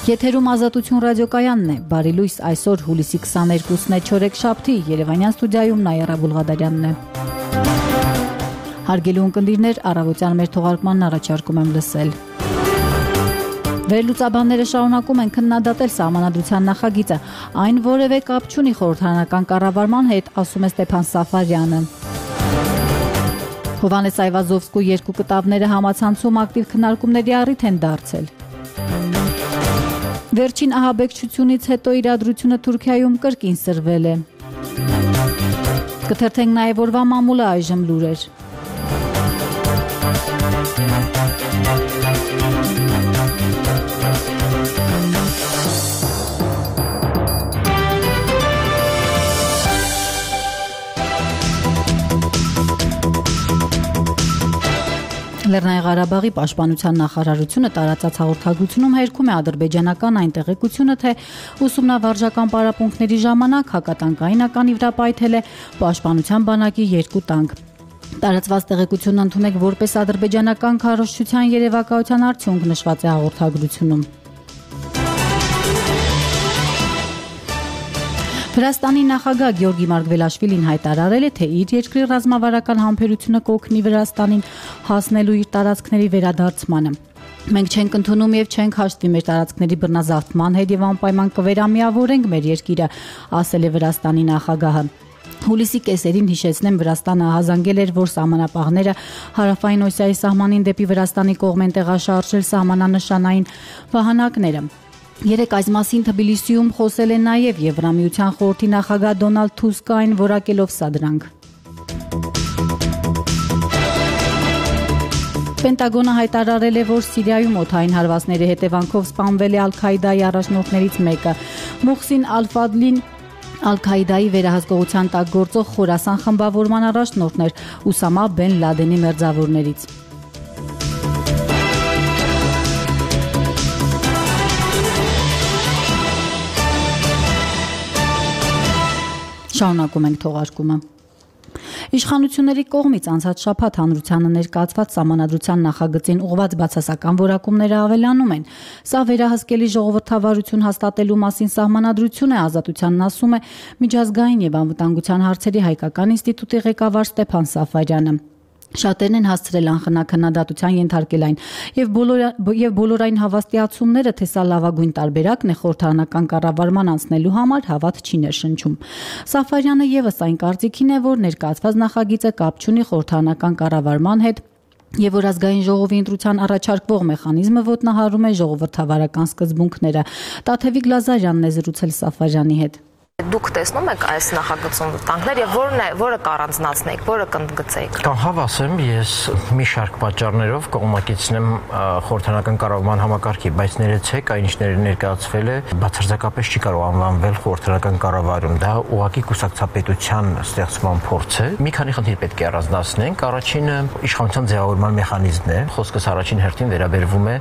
Եթերում Ազատություն ռադիոկայանն է, բարի լույս, այսօր հուլիսի 22-ն է չորեքշաբթի, Երևանյան ստուդիայում Նայիրա Բուլղադարյանն է։ Հարգելի ունկնդիրներ, առավոտյան մեր թողարկմանն առաջարկում եմ լսել։ Վերլուծաբանները շարունակում են քննադատել Սահմանադրության նախագիծը, այն որևէ կապ չունի խորհրդարանական կառավարման հետ, ասում է Ստեփան Սաֆարյանը։ Հովհաննես Այվազովսկու երկու կտավները համացանցում ակտիվ քննարկումների առիթ են դարձել։ Վերջին ահաբեկչությունից հետո իրադրությունը Թուրքիայում կրկին սրվել է։ Կթերթենք նաև օրվա մամուլը այժմ լուրեր։ Լեռնային Ղարաբաղի պաշտպանության նախարարությունը տարածած հաղորդագրությունում հերքում է ադրբեջանական այն տեղեկությունը, թե ուսումնավարժական պարապմունքների ժամանակ հակատանկային վրա պայթել է պաշտպանության բանակի 2 տանկ։ Տարածված տեղեկությունն ընդունեք որպես ադրբեջանական քարոզչության երևակայության արդյունք, նշված է հաղորդագրությունում։ Վրաստանի նախագահ Գեորգի Մարգվելաշվիլին հայտարարել է, թե իր երկրի ռազմավարական համբերությունը կօգնի Վրաստանին հասնելու իր տարածքների վերադարձմանը։ Մենք չենք ընդունում եւ չենք հաշտվի մեր տարածքների բռնազավթման հետ եւ անպայման կվերամիավորենք մեր երկիրը, ասել է Վրաստանի նախագահը։ Հուլիսի կեսերին հիշեցնեմ, Վրաստանը ահազանգել էր, որ սահմանապահները հարավային Օսիայի սահմանին դեպի Վրաստանի կողմ են տեղաշարժել սահմանանշանային վահանակները։ Երեկ այս մասին Թբիլիսիում խոսել է նաև Եվրամիության խորհրդի նախագահ Դոնալդ Թուսկը, այն որակելով սադրանք։ Պենտագոնը հայտարարել է, որ Սիրիայում օդային հարվածների հետևանքով սպանվել է Ալ-Քաիդայի առաջնորդներից մեկը։ Մուխսին Ալ-Ֆադլին Ալ-Քաիդայի վերահսկողության տակ գործող Խորասան խմբավորման առաջնորդն էր, Ուսամա Բեն Լադենի մերձավորներից։ Շարունակում ենք թողարկումը։ Իշխանությունների կողմից անցած շաբաթ հանրությանը ներկայացված Սահմանադրության նախագծին ուղղված բացասական որակումները ավելանում են։ Սա վերահսկելի ժողովրդավարություն հաստատելու մասին սահմանադրություն է, Ազատությանն ասում է միջազգային եւ անվտանգության հարցերի հայկական ինստիտուտի ղեկավար Ստեփան Սաֆարյանը։ Շատերն են հասցրել անխնաքննադատության ենթարկել այն եւ բոլորային հավաստիացումները, թե սա լավագույն տարբերակն է խորհրդարանական կառավարման անցնելու համար, հավատ չի ներշնչում։ Սաֆարյանը եւս այն կարծիքին է, որ ներկայացված նախագիծը կապ չունի խորհրդարանական կառավարման հետ եւ որ ազգային ժողովի ընտրության առաջարկվող մեխանիզմը ոտնահարում է ժողովրդավարական սկզբունքները։ Տաթևիկ Լազարյանն է զրուցել Սաֆարյանի հետ։ Դուք տեսնում եք այս նախագծում վտանգներ եւ որը կառանձնացնեք, որը կընդգծեք։ Հավասեմ, ես մի շարք պատճառներով կողմնակիցնեմ խորհրդարանական կառավարման համակարգի, բայց ներեցեք, այն ինչ ներկայացվել է, բացարձակապես չի կարող անվանվել խորհրդարանական կառավարում, դա ուղղակի կուսակցապետության ստեղծման փորձ է։ Մի քանի խնդիր պետք է առանձնացնենք։ Առաջինը իշխանության ձևավորման մեխանիզմն է։ Խոսքս առաջին հերթին վերաբերվում է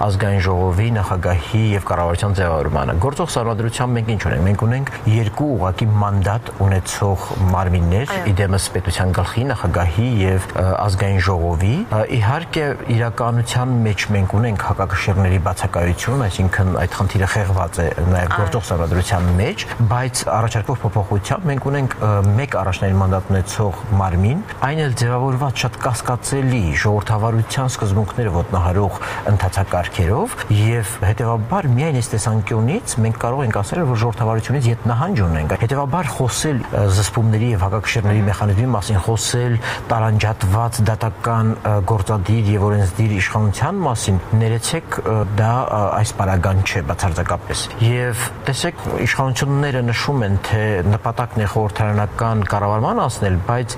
ազգային ժողովի, նախագահի եւ կառավարության ձևավորմանը։ Գործող սահմանադրությամբ մենք ինչ ունենք։ Մենք ունենք երկու ուղղակի մանդատ ունեցող մարմիններ, իդեմս պետության գլխի, նախագահի եւ ազգային ժողովի։ Իհարկե իրականության մեջ մենք ունենք հակակշիռների բացակայություն, այսինքն այդ խնդիրը խեղված է նաեւ գործող սահմանադրության մեջ, բայց առաջարկվող փոփոխությամբ մենք ունենք մեկ առաջնային մանդատ ունեցող մարմին, այն էլ ձևավորված շատ կասկածելի ժողովրդավարության սկզբունքները ոտնահարող ընթացակարգերով եւ հետեւաբար միայն այս տեսանկյունից մենք կարող ենք ասել, որ ժողովրդավարությունից ետնահանջ ունենք։ Հետևաբար խոսել զսպումների եւ հակակշիռների մեխանիզմի մասին, խոսել տարանջատված դատական գործադիր եւ օրենսդիր իշխանության մասին, ներեցեք, դա այս պարագան չէ բացարձակապես։ Եւ տեսեք, իշխանությունները նշում են, թե նպատակն է խորհրդարանական կառավարման անցնել, բայց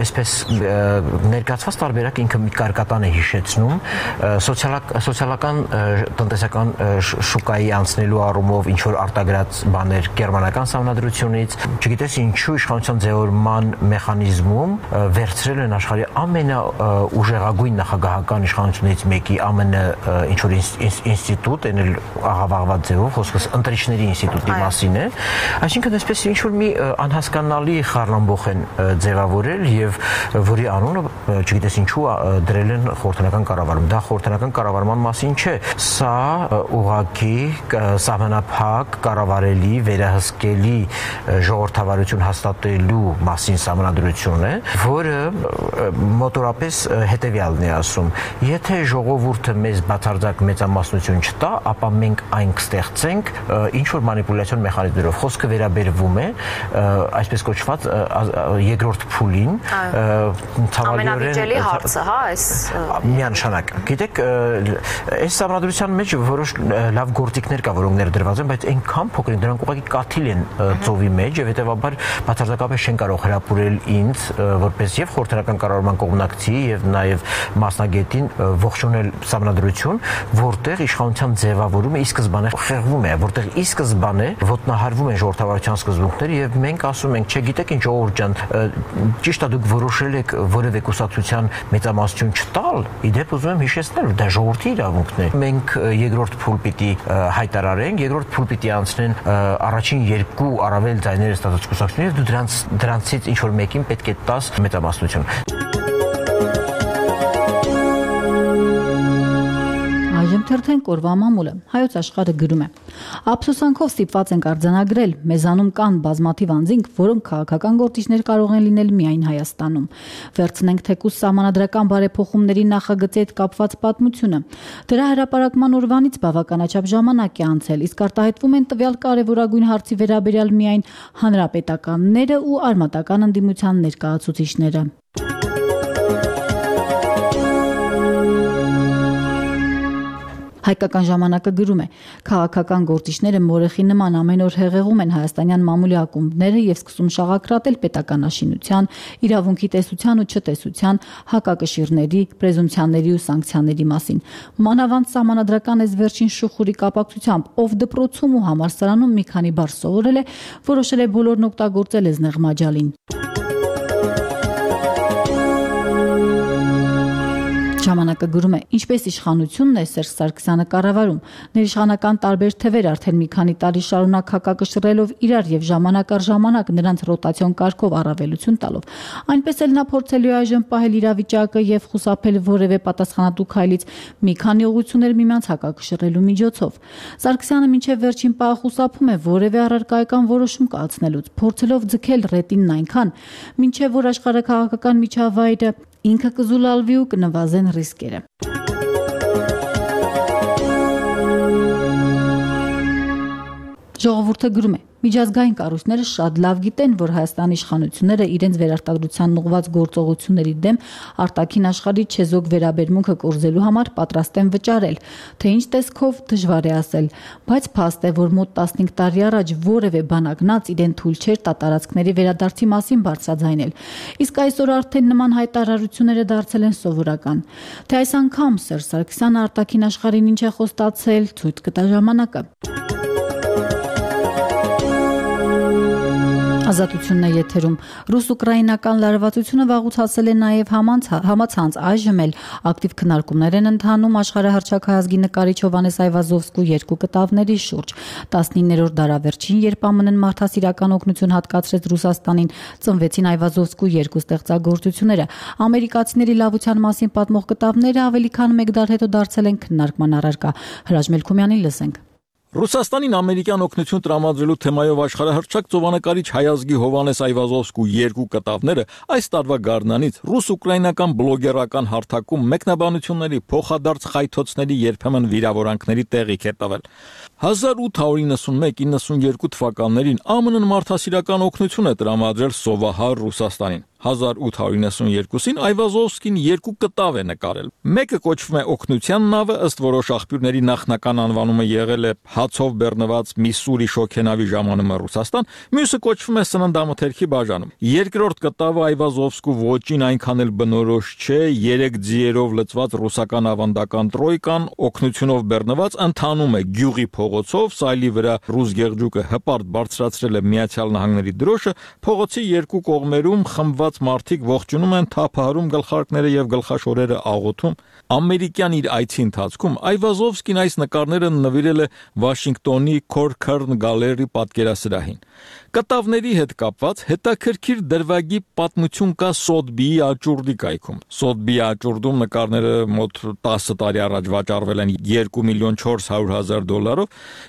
այսպես ներկայացված տարբերակը ինքը մի կարկատան է հիշեցնում սոցիալական տնտեսական շուկայի անցնելու առումով ինչ որ արտագրած բաներ գերմանական սահմանադրությունից, չգիտես ինչու իշխանության ձևավորման մեխանիզմում վերցրել են աշխարհի ամենաուժեղագույն նախագահական իշխանություններից մեկի ԱՄՆ ինչ որ ինստիտուտ, այն էլ աղավաղված ձևով, խոսքս ընտրիչների ինստիտուտի մասին է, այսինքն այսպես ինչ որ մի անհասկանալի խառնամբող են ձևավորել եւ որի անունը չգիտես ինչու դրել են խորհրդանական կառավարում։ Դա խորհրդանական կառավարման մասին չէ, սա ուղղակի սահմանափակ կառավարելի վերահսկելի ժողովրդավարություն հաստատելու մասին սահմանադրություն է, որը մոտորապես հետևյալն է ասում. եթե ժողովուրդը մեզ բացարձակ մեծամասնություն չտա, ապա մենք այն կստեղծենք ինչ որ մանիպուլյացիոն մեխանիզմներով։ Խոսքը վերաբերվում է այսպես կոչված երկրորդ փուլին, ամենավիճելի հարցը, հա, այս միանշանակ։ Գիտեք, այս սահմանադրության մեջ որոշ լավ գործիքներ կա, որոնք ներդրված են, բայց այնքան փոքր են, դրանք ուղղակի կաթիլ են ծովի մեջ եւ հետեւաբար բացարձակապես չեն կարող հրապուրել ինձ որպես եւ խորհրդանական կառավարման կողմնակցի եւ նաեւ մասնագետին ողջունել սահմանադրություն, որտեղ իշխանության ձևավորումը ի սկզբանե խեղվում է, որտեղ ի սկզբանե ոտնահարվում են ժողովրդավարության սկզբունքները եւ մենք ասում ենք, չգիտեք ինչ ժողովուրդ ջան, ճիշտ է դուք որոշել եք որևէ կուսակցության մեծամասնություն չտալ, իդեպ ուզում եմ հիշեցնել, դա ժողովրդի իրավունքն է։ Մենք երկրորդ փուլ պիտի հայտարարենք, երկրորդ փուլ պիտի անցնեն առաջին երկու առավել ձայները ստացած կուսակցությունները եւ դու դրանցից ինչ որ մեկին պետք է տաս մեծամասնություն։ Թերթեն կորվա մամուլը Հայոց աշխարհը գրում է. Ափսոսանքով ստիպված ենք արձանագրել, մեզանում կան բազմաթիվ անձինք, որոնք քաղաքական գործիչներ կարող են լինել միայն Հայաստանում։ Վերցնենք թեկուզ սահմանադրական բարեփոխումների նախագծի հետ կապված պատմությունը։ Դրա հրապարակման օրվանից բավականաչափ ժամանակ է անցել, իսկ արտահայտվում են տվյալ կարևորագույն հարցի վերաբերյալ միայն հանրապետականները ու արմատական ընդդիմության ներկայացուցիչները։ Հայկական ժամանակը գրում է. քաղաքական գործիչները մորեխի նման ամեն օր հեղեղում են հայաստանյան մամուլի ակումբները եւ սկսում շաղակրատել պետականաշինության, իրավունքի տեսության ու չտեսության, հակակշիռների, պրեզումպցիաների ու սանկցիաների մասին։ Մանավանդ սահմանադրական այս վերջին շուխուրի կապակցությամբ, ով դպրոցում ու համալսարանում մի քանի բառ սովորել է, որոշել է բոլորն օգտագործել Էզնեղ Մաջալին։ Ժամանակը գրում է. ինչպես իշխանությունն է Սերժ Սարգսյանը կառավարում, ներիշխանական տարբեր թևեր արդեն մի քանի տարի շարունակ հակակշռելով իրար եւ ժամանակ առ ժամանակ նրանց ռոտացիոն կարգով առավելություն տալով, այնպես էլ նա փորձելու է այժմ պահել իրավիճակը եւ խուսափել որևէ պատասխանատու քայլից մի քանի ուղղություններ միմյանց հակակշռելու միջոցով։ Սարգսյանը մինչեւ վերջին պահը խուսափում է որևէ առարկայական որոշում կայացնելուց, փորձելով ձգել ռետինն այնքան, մինչեւ որ աշխարհաքաղաքական միջավայրը ինքը կզուլալվի ու կնվազեն ռիսկերը։ Ժողովուրդը գրում է. միջազգային կառույցները շատ լավ գիտեն, որ Հայաստանի իշխանությունները իրենց վերարտադրության ուղղված գործողությունների դեմ արտաքին աշխարհի չեզոք վերաբերմունքը կորզելու համար պատրաստ են վճարել, թե ինչ տեսքով դժվար է ասել, բայց փաստ է, որ մոտ 15 տարի առաջ որևէ բանակնած իրեն թույլ չէր տատարածքների վերադարձի մասին բարձրաձայնել։ Իսկ այսօր արդեն նման հայտարարությունները դարձել են սովորական։ Թե այս անգամ Սերժ Սարգսյանը արտաքին աշխարհին ինչ է խոստացել, ցույց կտա ժամանակը։ Ազատությունն է եթերում։ Ռուս-ուկրաինական լարվածությունը վաղուց հասել է նաև համացանց, այժմ էլ ակտիվ քննարկումներ են ընթանում աշխարհահռչակահայազգի նկարիչ Հովհաննես Այվազովսկու երկու կտավների շուրջ։ 19-րդ դարավերջին, երբ ԱՄՆ-ն մարդասիրական օգնություն հատկացրեց Ռուսաստանին, ծնվեցին Այվազովսկու երկու ստեղծագործությունները։ Ամերիկացիների լավության մասին պատմող կտավները ավելի քան մեկ դար հետո դարձել են քննարկման առարկա։ Հրաչ Մելքումյանին լսենք։ Ռուսաստանին ամերիկյան օգնություն տրամադրելու թեմայով աշխարհահռչակ ծովանկարիչ հայազգի Հովհաննես Այվազովսկու երկու կտավները այս տարվա գարնանից ռուս-ուկրաինական բլոգերական հարթակում մեկնաբանությունների, փոխադարձ խայթոցների, երբեմն վիրավորանքների տեղիք է տվել։ 1891-92 թվականներին ԱՄՆ-ն մարդասիրական օգնություն է տրամադրել սովահար Ռուսաստանին։ 1892-ին Այվազովսկին երկու կտավ է նկարել։ Մեկը կոչվում է Օգնության նավը, ըստ որոշ աղբյուրների նախնական անվանումը եղել է հացով բեռնված Միսսուրի շոգենավի ժամանումը Ռուսաստան, մյուսը կոչվում է Սննդամթերքի բաժանում։ Երկրորդ կտավը Այվազովսկու ոճին այնքան էլ բնորոշ չէ, 3 ձիերով լցված ռուսական ավանդական տրոյկան օգնությունով բեռնված ընթանում է գյուղի փողոցով, սայլի վրա ռուս գեղջուկը հպարտ բարձրացրել է Միացյալ Նահանգների դրոշը, փողոցի երկու կողմերում խմբված մարդիկ ողջունում են, թափահարում գլխարկները եւ գլխաշորերը աղոթում։ Ամերիկյան իր այցի ընթացքում Այվազովսկին այս նկարները նվիրել է Վաշինգտոնի Corcoran Gallery պատկերասրահին։ Կտավների հետ կապված հետաքրքիր դրվագի պատմություն կա Սոթբիի աճուրդի կայքում։ Սոթբիի աճուրդում նկարները մոտ 10 տարի առաջ վաճառվել են $2,400,000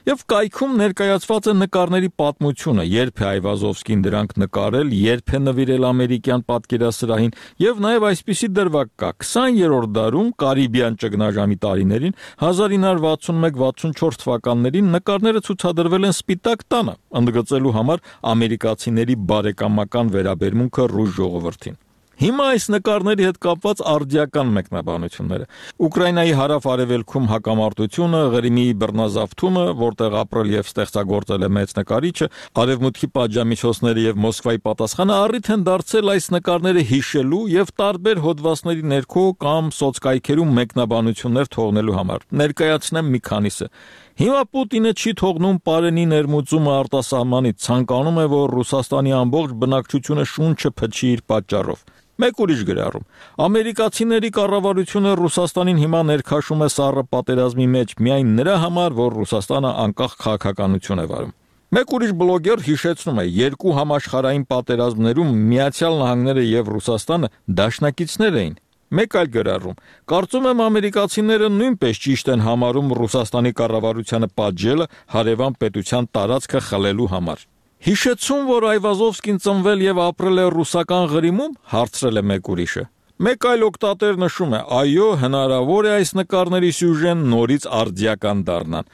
եւ կայքում ներկայացված է նկարների պատմությունը, երբ է Այվազովսկին դրանք նկարել, երբ է նվիրել ամերիկյան պատկերասրահին եւ նաեւ այսպիսի դրվագ կա 20-րդ դարում Կարիբյան ճգնաժամի տարիներին 1961-64 թվականներին նկարները ցուցադրվել են Սպիտակ տանը, ընդգծելու համար ամերիկացիների բարեկամական վերաբերմունքը ռուս ժողովրդին։ Հիմա այս նկարների հետ կապված արդիական մեկնաբանությունները։ Ուկրաինայի հարավ-արևելքում հակամարտությունը, Ղրիմի բռնազավթումը, որտեղ ապրել եւ ստեղծագործել է մեծ նկարիչը, արևմուտքի պատժամիջոցները եւ Մոսկվայի պատասխանը առիթ են դարձել այս նկարները հիշելու եւ տարբեր հոդվածների ներքո կամ սոցկայքերում մեկնաբանություններ թողնելու համար։ Ներկայացնեմ մի քանիսը։ Հիմա Պուտինը չի թողնում Պարենի ներմուծումը արտասահմանից, ցանկանում է, որ Ռուսաստանի ամբողջ բնակչությունը շունչը փչի իր պատճառով։ Մեկ ուրիշ գրառում. ամերիկացիների կառավարությունը Ռուսաստանին հիմա ներքաշում է սառը պատերազմի մեջ միայն նրա համար, որ Ռուսաստանը անկախ քաղաքականություն է վարում։ Մեկ ուրիշ բլոգեր հիշեցնում է, երկու համաշխարհային պատերազմներում Միացյալ Նահանգները եւ Ռուսաստանը դաշնակիցներ էին։ Մեկ այլ գրառում. կարծում եմ ամերիկացիները նույնպես ճիշտ են համարում Ռուսաստանի կառավարությանը պատժելը հարևան պետության տարածքը խլելու համար։ Հիշեցում, որ Այվազովսկին ծնվել եւ ապրել է ռուսական Ղրիմում, հարցրել է մեկ ուրիշը։ Մեկ այլ օգտատեր նշում է. այո, հնարավոր է այս նկարների սյուժեն նորից արդիական դառնան։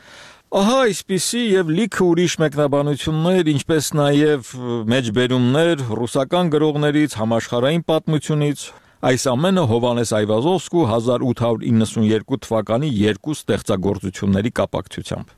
Ահա այսպիսի եւ լիքը ուրիշ մեկնաբանություններ, ինչպես նաեւ մեջբերումներ ռուսական գրողներից, համաշխարհային պատմությունից, այս ամենը Հովհաննես Այվազովսկու 1892 թվականի երկու ստեղծագործությունների կապակցությամբ։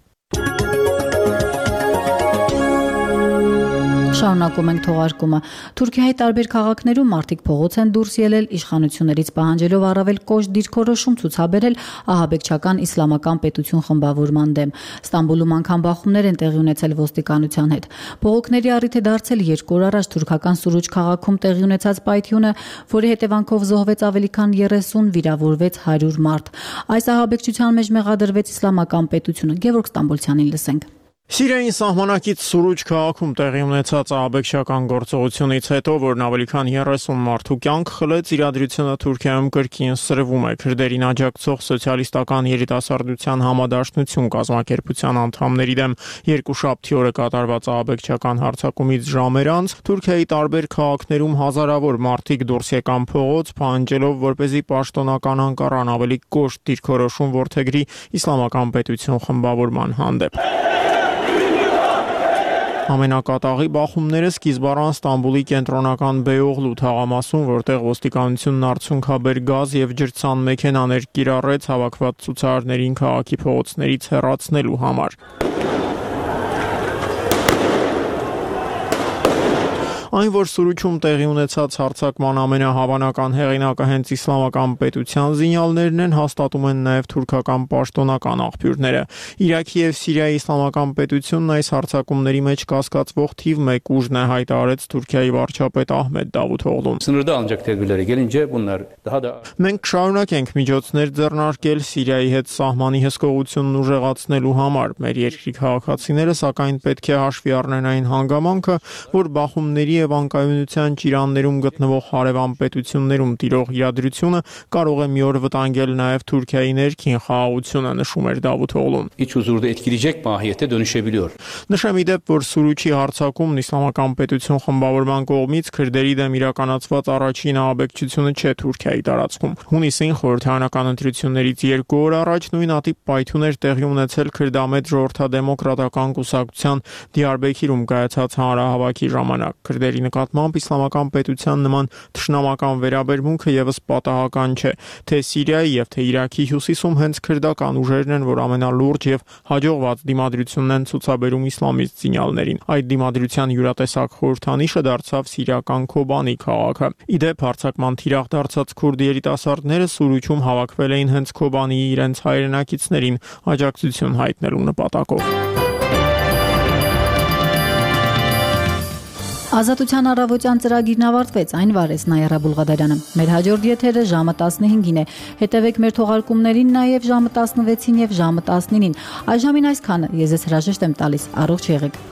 Շարունակում ենք թողարկումը։ Թուրքիայի տարբեր քաղաքներում մարդիկ փողոց են դուրս ելել իշխանություններից պահանջելով առավել կոշտ դիրքորոշում ցուցաբերել ահաբեկչական իսլամական պետություն խմբավորման դեմ։ Ստամբուլում անգամ բախումներ են տեղի ունեցել ոստիկանության հետ։ Բողոքների առիթ է դարձել 2 օր առաջ թուրքական Սուրուջ քաղաքում տեղի ունեցած պայթյունը, որի հետևանքով զոհվեց ավելի քան 30, վիրավորվեց 100 մարդ։ Այս ահաբեկչության մեջ մեղադրվեց իսլամական պետությունը։ Գևորգ Ստամբոլցյանին լսենք։ Սիրիայի սահմանակից Սուրուջ քաղաքում տեղի ունեցած ահաբեկչական գործողությունից հետո, որն ավելի քան 30 մարդու կյանք խլեց, իրադրությունը Թուրքիայում կրկին սրվում է։ Քրդերին աջակցող սոցիալիստական երիտասարդության համադաշնություն կազմակերպության անդամների դեմ երկուշաբթի օրը կատարված ահաբեկչական հարձակումից ժամեր անց Թուրքիայի տարբեր քաղաքներում հազարավոր մարդիկ դուրս եկան փողոց, պահանջելով, որպեսզի պաշտոնական Անկարան ավելի կոշտ դիրքորոշում որդեգրի իսլամական պետություն խմբավորման հանդեպ։ Ամենակատաղի բախումները սկիզբ առան Ստամբուլի կենտրոնական Բեյօղլու թաղամասում, որտեղ ոստիկանությունն արցունքաբեր գազ եւ ջրցան մեքենաներ կիրառեց հավաքված ցուցարարներին քաղաքի փողոցներից հեռացնելու համար։ Այն, որ Սուրուջում տեղի ունեցած հարձակման ամենահավանական հեղինակը հենց իսլամական պետության զինյալներն են, հաստատում են նաև թուրքական պաշտոնական աղբյուրները։ Իրաքի եւ Սիրիայի իսլամական պետությունն այս հարձակումների մեջ կասկածվող թիվ 1 ուժն է, հայտարարեց Թուրքիայի վարչապետ Ահմեդ Դավութօղլուն։ Մենք կշարունակենք միջոցներ ձեռնարկել Սիրիայի հետ սահմանի հսկողությունն ուժեղացնելու համար։ Մեր երկրի քաղաքացիները սակայն պետք է հաշվի առնեն այն հանգամանքը, որ բախումների եւ անկայունության ճիրաններում գտնվող հարևան պետություններում տիրող իրադրությունը կարող է մի օր վտանգել նաեւ Թուրքիայի ներքին խաղաղությունը, նշում էր Դավութօղլուն։ Նշեմ ի դեպ, որ Սուրուջի հարձակումն իսլամական պետություն խմբավորման կողմից քրդերի դեմ իրականացված առաջին ահաբեկչությունը չէ Թուրքիայի տարածքում։ Հունիսին խորհրդարանական ընտրություններից 2 օր առաջ նույնատիպ պայթյուններ տեղի ունեցել քրդամետ ժողովրդադեմոկրատական կուսակցության Դիարբեքիրում կայացած հանրահավաքի ժամանակ։ Քրդերի քրդերի նկատմամբ իսլամական պետության նման թշնամական վերաբերմունքը եւս պատահական չէ, թե Սիրիայի եւ թե Իրաքի հյուսիսում հենց քրդական ուժերն են, որ ամենալուրջ եւ հաջողված դիմադրությունն են ցուցաբերում իսլամիստ զինյալներին։ Այդ դիմադրության յուրատեսակ խորհրդանիշը դարձավ սիրիական Քոբանի քաղաքը։ Իդեպ հարձակման թիրախ դարձած քուրդ երիտասարդները Սուրուջում հավաքվել էին հենց Քոբանիի իրենց հայրենակիցներին աջակցություն հայտնելու նպատակով։ Ազատության առավոտյան ծրագիրն ավարտվեց, այն վարեց Նայիրա Բուլղադարյանը։ Մեր հաջորդ եթերը ժամը 15-ին է։ Հետևեք մեր թողարկումներին նաև ժամը 16-ին եւ ժամը 19-ին։ Այժմին այսքանը։ Ես հրաժեշտ եմ տալիս։ Առողջ եղեք։